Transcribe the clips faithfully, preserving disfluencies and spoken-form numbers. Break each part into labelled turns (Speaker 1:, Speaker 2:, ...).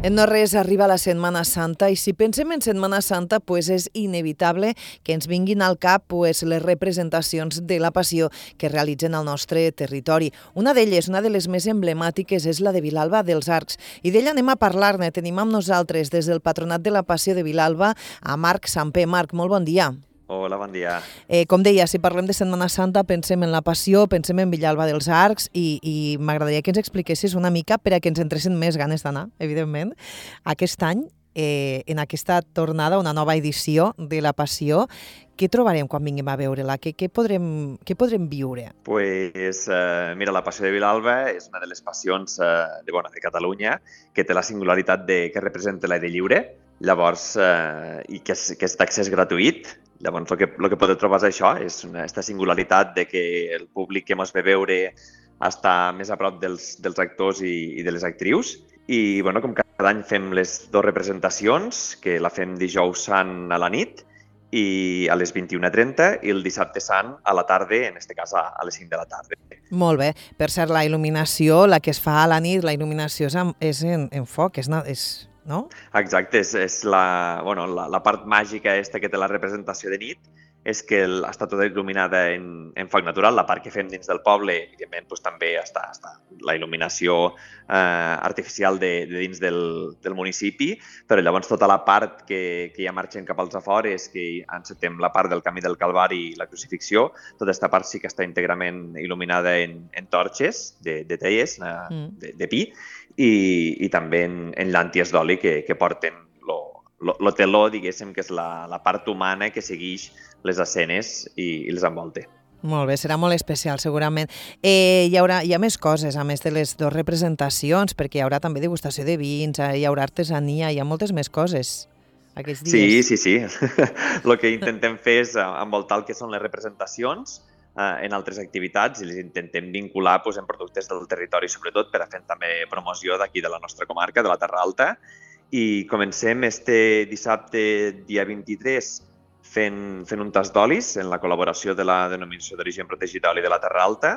Speaker 1: En no res arriba la Setmana Santa i si pensem en Setmana Santa pues és inevitable que ens vinguin al cap pues, les representacions de la Passió que realitzen al nostre territori. Una d'elles, una de les més emblemàtiques, és la de Vilalba dels Arcs. I d'ella anem a parlar-ne. Tenim amb nosaltres des del Patronat de la Passió de Vilalba a Marc Samper. Marc, molt bon dia.
Speaker 2: Hola, bon dia.
Speaker 1: Eh, com deia, si parlem de Setmana Santa pensem en la Passió, pensem en Vilalba dels Arcs i, i m'agradaria que ens expliquessis una mica per a que ens entressin més ganes d'anar, evidentment, aquest any, eh, en aquesta tornada, una nova edició de la Passió. Què trobarem quan vinguem a veure-la? Què, què, podrem, què podrem viure?
Speaker 2: Pues, eh, mira, la Passió de Vilalba és una de les passions eh, de, bueno, de Catalunya que té la singularitat de que representa l'aire lliure, llavors, eh, i que és, que és d'accés gratuït. Llavors, el que, el que podeu trobar és això, és una, aquesta singularitat de que el públic que ens ve veure està més a prop dels, dels actors i, i de les actrius. I, bueno, com cada any fem les dues representacions, que la fem dijous sant a la nit i a les vint-i-una trenta i el dissabte sant a la tarda, en aquest cas a, a les cinc de la tarda.
Speaker 1: Molt bé. Per cert, la il·luminació, la que es fa a la nit, la il·luminació és en, és en, en foc, és... és... no?
Speaker 2: Exacte, és, és la, bueno, la, la part màgica esta que té la representació de nit, és que el, està tota il·luminada en, en foc natural. La part que fem dins del poble, evidentment, doncs, també està, està la il·luminació eh, artificial de, de dins del, del municipi, però llavors tota la part que, que ja marxen cap als afores, que encetem la part del Camí del Calvari i la Crucifixió, tota aquesta part sí que està íntegrament il·luminada en, en torxes de, de teies, eh, mm. de, de pi, i, i també en, en llànties d'oli que, que porten lo, lo, lo teló, diguéssim, que és la, la part humana que segueix les escenes i, i les envolta.
Speaker 1: Molt bé, serà molt especial, segurament. Eh, hi, haurà, hi ha més coses, a més de les dues representacions, perquè hi haurà també degustació de vins, hi haurà artesania, hi ha moltes més coses aquests dies.
Speaker 2: Sí, sí, sí. El que intentem fer és envoltar el que són les representacions eh, en altres activitats i les intentem vincular pues, en productes del territori, sobretot per a fer també promoció d'aquí de la nostra comarca, de la Terra Alta. I comencem este dissabte, dia vint-i-tres, fent, fent un tast d'olis en la col·laboració de la Denominació d'Origen Protegit d'Oli de la Terra Alta.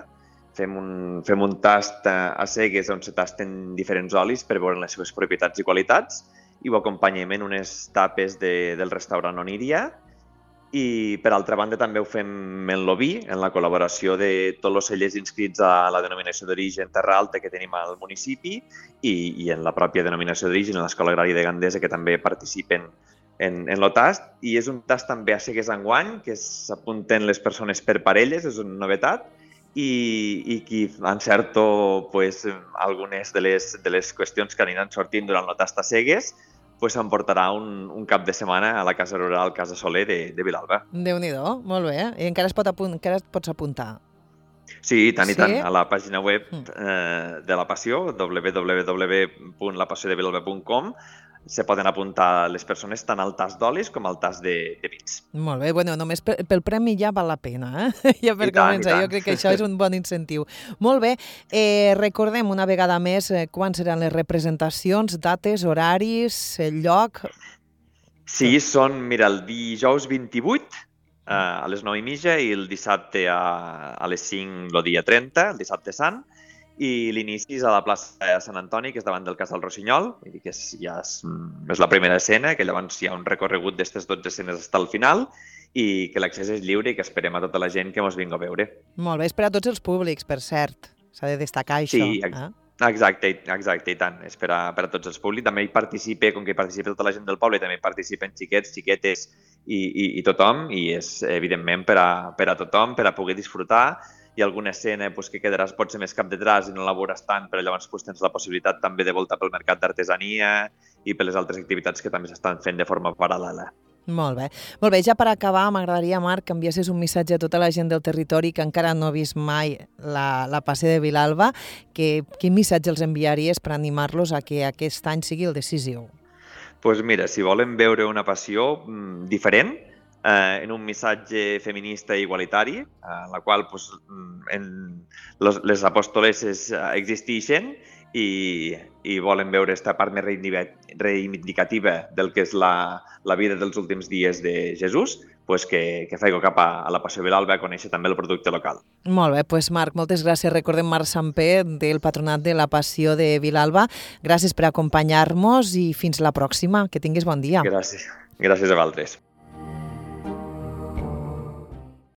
Speaker 2: Fem un, fem un tast a cegues on se tasten diferents olis per veure les seves propietats i qualitats i ho acompanyem en unes tapes de, del restaurant Oníria. I, per altra banda, també ho fem en l'oví, en la col·laboració de tots els cellers inscrits a la Denominació d'Origen Terra Alta que tenim al municipi i, i en la pròpia Denominació d'Origen, en l'Escola Agrària de Gandesa, que també participen en, en el tast. I és un tast també a cegues enguany, que s'apunten les persones per parelles, és una novetat, i, i qui encerto pues, algunes de les, de les qüestions que aniran sortint durant el tast a cegues, pues s'emportarà un, un cap de setmana a la Casa Rural Casa Soler de, de Vilalba.
Speaker 1: Déu-n'hi-do, molt bé. I encara, es pot apunt, encara et pots apuntar?
Speaker 2: Sí, i tant
Speaker 1: sí?
Speaker 2: i tant. A la pàgina web eh, de la Passió, w w w punt la passió de vilalba punt com, se poden apuntar les persones tant al tast d'olis com al tast de, de vins.
Speaker 1: Molt bé, bueno, només pel, pel premi ja val la pena, eh? Ja per I començar, tant, jo crec que això és un bon incentiu. Molt bé, eh, recordem una vegada més eh, quan seran les representacions, dates, horaris, el lloc...
Speaker 2: Sí, són, mira, el dijous vint-i-vuit eh, a les nou i mitja i el dissabte a, a les cinc el dia trenta, el dissabte sant, i l'inici és a la plaça de Sant Antoni, que és davant del Casal Rossinyol, vull dir que és, ja és, és la primera escena, que llavors hi ha un recorregut d'aquestes dotze escenes fins al final i que l'accés és lliure i que esperem a tota la gent que ens vingui a veure.
Speaker 1: Molt bé, és per a tots els públics, per cert, s'ha de destacar això.
Speaker 2: Sí, ex eh? exacte, exacte, i tant, és per a, per a tots els públics. També hi participa, com que hi participa tota la gent del poble, també hi participen xiquets, xiquetes i, i, i tothom, i és evidentment per a, per a tothom, per a poder disfrutar. Hi ha alguna escena pues, que quedaràs potser més cap detrás i no la veuràs tant, però llavors pues, tens la possibilitat també de voltar pel mercat d'artesania i per les altres activitats que també s'estan fent de forma paral·lela.
Speaker 1: Molt bé. Molt bé, ja per acabar, m'agradaria, Marc, que enviessis un missatge a tota la gent del territori que encara no ha vist mai la, la Passió de Vilalba. Que, quin missatge els enviaries per animar-los a que aquest any sigui el decisiu?
Speaker 2: Doncs pues mira, si volen veure una passió mm, diferent, Eh, en un missatge feminista i igualitari, eh, en la qual pues, en los, les apòstoleses existeixen i, i volen veure aquesta part més reivindicativa del que és la, la vida dels últims dies de Jesús, pues que, que faigo cap a, a la Passió Vilalba a conèixer també el producte local.
Speaker 1: Molt bé, doncs Marc, moltes gràcies. Recordem Marc Samper, del Patronat de la Passió de Vilalba. Gràcies per acompanyar-nos i fins la pròxima. Que tinguis bon dia.
Speaker 2: Gràcies. Gràcies a vosaltres.